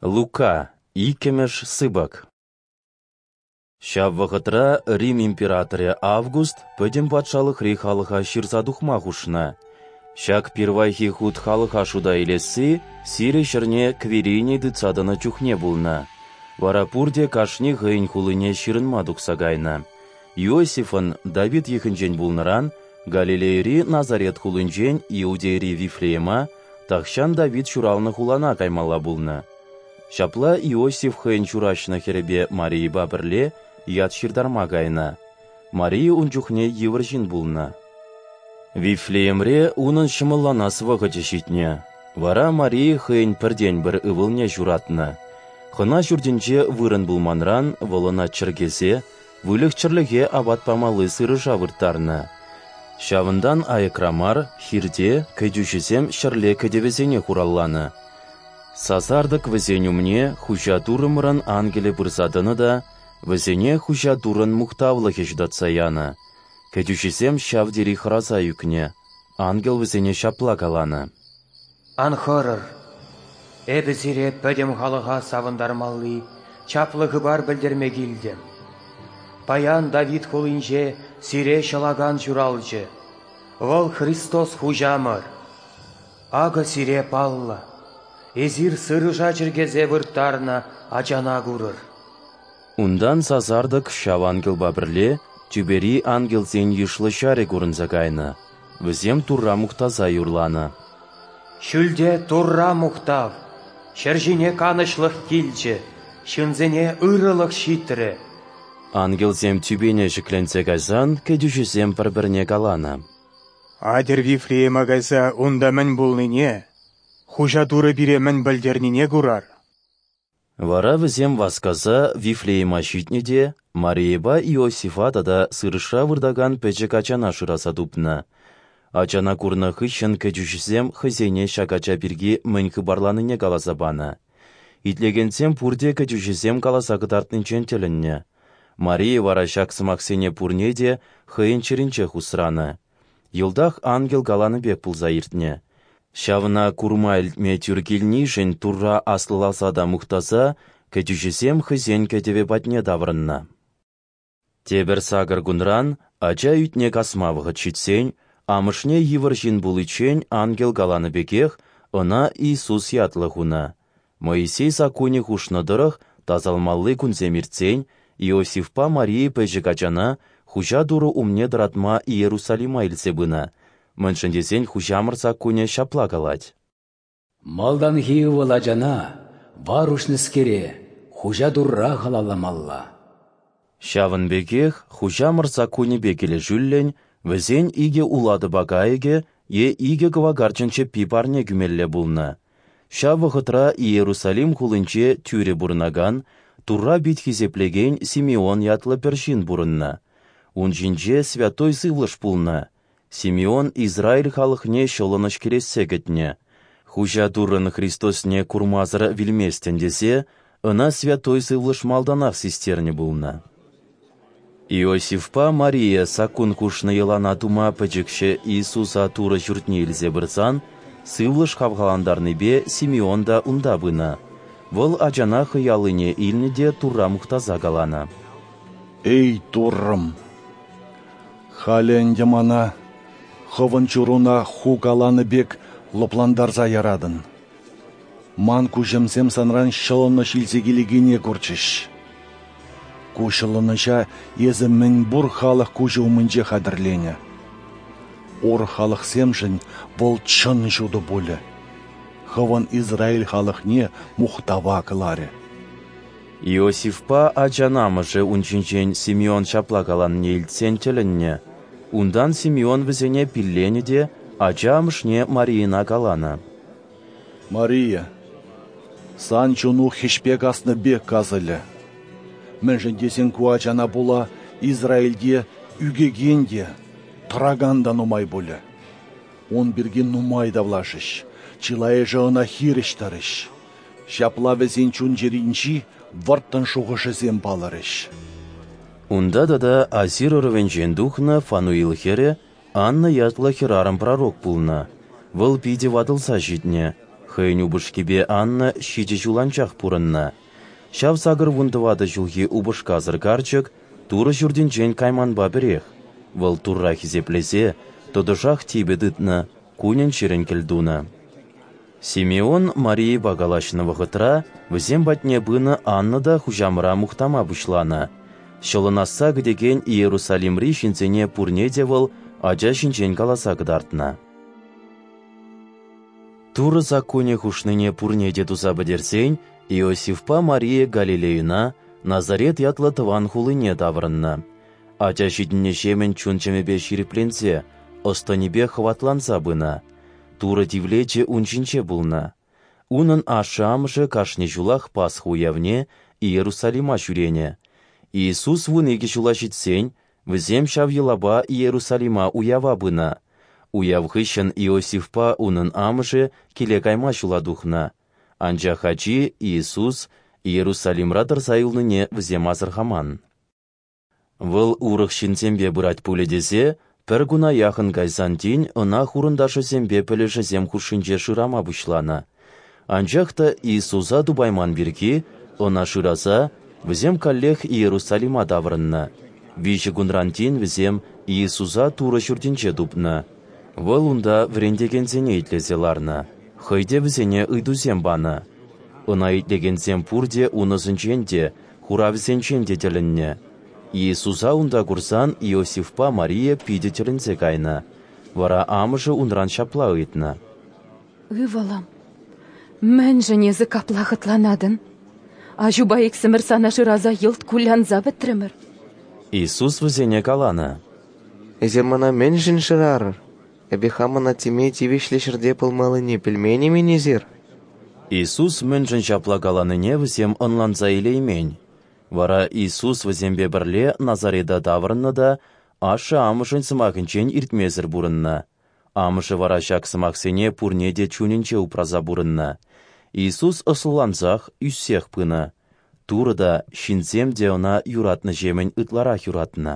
Лука, иккӗмӗш сыпӑк. Ҫав вӑхӑтра Рим императорӗ Август пӗтӗм патшалӑхри халӑха ҫырса тухма хушнӑ. Ҫак пирвайхи хут халӑха шута илесси Сири ҫӗрне Квириний тытса тӑнӑ чухне пулнӑ. Вара пурте кашни хӑйӗн хулине ҫырӑнма тухса кайнӑ. Иосифӑн, Давид йӑхӗнчен пулнӑран, Галилейӑри Назарет хулинчен Иудейӑри Вифлеема, тахҫан Давид ҫуралнӑ хулана каймалла пулнӑ. Ҫапла Иосиф хӑйӗн ҫураҫнӑ хӗрӗпе Марийӑпа пӗрле ят ҫыртарма кайнӑ. Мария ун чухне йывӑр ҫын пулнӑ. Вифлеемре унӑн ҫӑмӑлланас вӑхӑчӗ ҫитнӗ. Вара Мария хӑйӗн пӗртен-пӗр ывӑлне ҫуратнӑ. Хӑна ҫуртӗнче вырӑн пулманран вӑл ӑна чӗркесе выльӑх-чӗрлӗхе апат памалли сырӑша вырттарнӑ. Ҫавӑнтан аякра мар, хирте, кӗтӳҫӗсем ҫӗрле кӗтӗвӗсене хуралланӑ. Сасартӑк вӗсен умне Хуҫа Туррӑмӑрӑн ангелӗ пырса тӑнӑ та вӗсене Хуҫа Туррӑн мухтавлӑхӗ ҫутатса янӑ. Кӗтӳҫӗсем ҫав тери хӑраса ӳкнӗ. Ангел вӗсене ҫапла каланӑ: Ан хӑрӑр. Эпӗ сире пӗтӗм халӑха савӑнтармалли чаплӑ хыпар пӗлтерме килтӗм. Паян Давид хулинче сире Ҫӑлакан ҫуралчӗ. Вӑл Христос Хуҫамӑр. Акӑ сире паллӑ: эсир сырӑша чӗркесе вырттарнӑ ачана курӑр. Унтан сасартӑк ҫав ангелпа пӗрле тӳпери ангелсен йышлӑ ҫарӗ курӑнса кайнӑ. Вӗсем Турра мухтаса юрланӑ. Ҫӳлте Турра мухтав, ҫӗр ҫине канӑҫлӑх килчӗ, ҫынсене ырӑлӑх ҫитрӗ. Ангелсем тӳпене ҫӗкленсе кайсан кӗтӳҫӗсем пӗр-пӗрне каланӑ: Атьӑр Вифлеема кайса унта мӗн пулнине, Хуҫа Турӑ пире мӗн пӗлтернине курар. Вара вӗсем васкаса Вифлеема ҫитнӗ те Марийӑпа Иосифа тата сырӑшра выртакан пӗчӗк ачана шыраса тупнӑ. Ачана курнӑ хыҫҫӑн кӗтӳҫӗсем хӑйсене ҫак ача пирки мӗн хыпарланине каласа панӑ. Итлекенсем пурте кӗтӳҫӗсем каласа кӑтартнинчен тӗлӗннӗ. Мария вара ҫак сӑмахсене пурне те хӑйӗн чӗринчех усранӑ. Йӑлтах ангел каланӑ пек пулса иртнӗ. Ҫавна курма-илтме тӳр килнишӗн Турра аслӑласа та мухтаса кӗтӳҫӗсем хӑйсен кӗтӗвӗ патне таврӑннӑ. Тепӗр сакӑр кунран, ача ӳтне касма вӑхӑт ҫитсен, амӑшне йывӑр ҫын пуличчен ангел каланӑ пекех ӑна Иисус ятлӑ хунӑ. Моисей саккунӗ хушнӑ тӑрӑх тасалмалли кунсем иртсен Иосифпа Мария пӗчӗк ачана Хуҫа Турӑ умне тӑратма Иерусалима илсе пынӑ, мӗншӗн тесен Хуҫамӑр саккунӗ ҫапла калать: Малтанхи ывӑл ачана, вар уҫнӑскере, Хуҫа Турра халалламалла. Ҫавӑн пекех Хуҫамӑр саккунӗпе килӗшӳллӗн вӗсен икӗ улатӑпа кайӑкӗ е икӗ кӑвакарчӑн чӗппи парне кӳмелле пулнӑ. Ҫав вӑхӑтра Иерусалим хулинче тӳрӗ пурӑнакан, Турра пит хисеплекен Симеон ятлӑ пӗр ҫын пурӑннӑ. Ун ҫинче Святой Сывлӑш пулнӑ. Симеон Израиль халӑхне ҫӑлӑнӑҫ кӗрессе кӗтнӗ. Хуҫа Туррӑн Христосне курмасӑр вилместӗн тесе ӑна Святой Сывлӑш малтанах систернӗ пулнӑ. Иосифпа Мария саккун хушнӑ йӑлана тума пӗчӗкҫӗ Иисуса Турӑ ҫуртне илсе пырсан, Сывлӑш хавхалантарнипе Симеон та унта пынӑ. Вӑл ачана хӑй аллине илнӗ те Турра мухтаса каланӑ: Эй, Туррӑм, халӗ ӗнтӗ мана, Хӑвӑн чуруна Ху каланӑ пек, лӑплантарса яратӑн. Ман куҫӑмсем Санран ҫӑлӑнӑҫ илсе килекене курчӗҫ. Ку ҫӑлӑнӑҫа Эсӗ мӗнпур халӑх куҫӗ умӗнче хатӗрленӗ. Урӑх халӑхсемшӗн вӑл чӑн ҫутӑ пулӗ. Хӑвӑн Израиль халӑхне мухтава кӑларӗ. Иосифпа ачан амӑшӗ ун ҫинчен Симеон ҫапла каланине илтсен тӗлӗннӗ. Унтан Симеон вӗсене пилленӗ те ача амӑшне Марийӑна каланӑ: Мария, сан чуну хӗҫпе каснӑ пек касӑлӗ. Мӗншӗн тесен ку ачана пула Израильте ӳкекен те, тӑракан та нумай пулӗ. Ун пирки нумай тавлашӗҫ, чылайӑшӗ ӑна хирӗҫ тӑрӗҫ. Ҫапла вӗсен чун-чӗринчи вӑрттӑн шухӑшӗсем палӑрӗҫ. Унта тата Асир ӑрӑвӗнчен тухнӑ Фануил хӗрӗ Анна ятлӑ хӗрарӑм пророк пулнӑ. Вӑл питӗ ватӑлса ҫитнӗ, хӑй Хӑйӗн упӑшкипе Анна ҫичӗ ҫул анчах пурӑннӑ. Ҫав 84 ҫулхи упӑшкасӑр карчӑк Турӑ Ҫуртӗнчен кайманпа пӗрех, вӑл Турра хисеплесе тӑтӑшах типӗ тытнӑ, кунӗн-ҫӗрӗн кӗлтунӑ. Симеон Марийӑпа калаҫнӑ вӑхӑтра вӗсем патне пынӑ Анна та Хуҫамӑра мухтама пуҫланӑ. Ҫӑлӑнасса кӗтекен Иерусалимри ҫынсене пурне те вӑл ача ҫинчен каласа кӑтартнӑ. Турӑ саккунӗ хушнине пурне те туса пӗтерсен Иосифпа Мария Галилейӑна, Назарет ятлӑ тӑван хулине таврӑннӑ. Ача ҫитӗннӗҫемӗн чун-чӗмӗпе ҫирӗпленсе, ӑс-тӑнӗпе хӑватланса пынӑ. Турӑ тивлечӗ ун ҫинче пулнӑ. Унӑн ашшӗ-амӑшӗ кашни ҫулах Пасха уявне Иерусалима ҫӳренӗ. Иисус 12 ҫула ҫитсен, вӗсем ҫав йӑлапа Иерусалима уява пынӑ. Уяв хыҫҫӑн Иосифпа унӑн амӑшӗ киле кайма ҫула тухнӑ. Анчах ачи, Иисус, Иерусалимра тӑрса юлнине вӗсем асӑрхаман. Вӑл урӑх ҫынсемпе пырать пулӗ тесе пӗр куна яхӑн кайсан тин ӑна хурӑнташӗсемпе пӗлӗшӗсем хушшинче шырама пуҫланӑ. Анчах та Иисуса тупайман пирки, ӑна шыраса, вӗсем каллех Иерусалима таврӑннӑ. Виҫӗ кунран тин вӗсем Иисуса Турӑ Ҫуртӗнче тупнӑ. Вӑл унта вӗрентекенсене итлесе ларнӑ, хӑй те вӗсене ыйтусем панӑ. Ӑна итлекенсем пурте ун ӑсӗнчен те, хуравӗсенчен те тӗлӗннӗ. Иисуса унта курсан Иосифпа Мария питӗ тӗлӗнсе кайнӑ. Вара амӑшӗ унран ҫапла ыйтнӑ: Ывӑлӑм, мӗншӗн эсӗ капла хӑтланатӑн? Аҫупа иксӗмӗр сана шыраса йӑлт кулянса пӗтрӗмӗр. Иисус вӗсене каланӑ: Эсир мана мӗншӗн шырарӑр? Эпӗ хамӑн аттеме тивӗҫлӗ ҫӗрте пулмаллине пӗлмен-и-мӗн эсир? Иисус мӗншӗн ҫапла каланине вӗсем ӑнланса илеймен. Вара Иисус вӗсемпе пӗрле Назарета таврӑннӑ та ашшӗ-амӑшӗн сӑмахӗнчен иртмесӗр пурӑннӑ. Амӑшӗ вара ҫак сӑмахсене пурне те чунӗнче упраса пурӑннӑ. Иисус ӑслӑлансах, ӳссех пынӑ. Турӑ та, ҫынсем те ӑна юратнӑҫемӗн ытларах юратнӑ.